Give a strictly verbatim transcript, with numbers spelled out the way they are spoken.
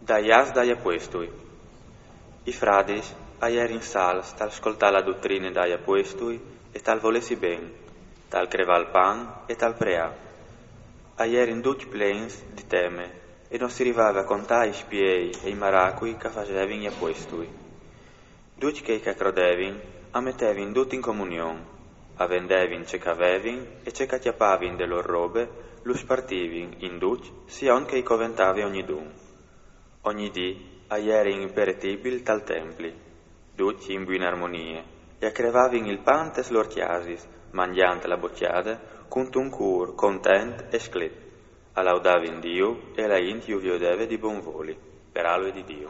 Dai ats dai apuestui. I fradis a jerin salts tal scoltâ la dutrine dai apuestui e tal volêsi ben, tal crevâ il pan e tal preâ. A jerin ducj plens di teme e no si rivave a contâ i spiei e i maracui che a fasevin i apuestui. Ducj chei che a crodevin a metevin dut in comunion, a vendevin ce che a vevin e ce che a cjapavin de lôr robe lu spartivin in ducj siond che i coventave ognidun. Ogni dì a jerin in peretibil tal templi, ducj in buine armonie, e a crevavin il pan tes lôr cjasis, mangjant la bocjade cuntun cûr content e sclet. A laudavin Diu e la int ju viodeve di bon voli, per alue di Diu.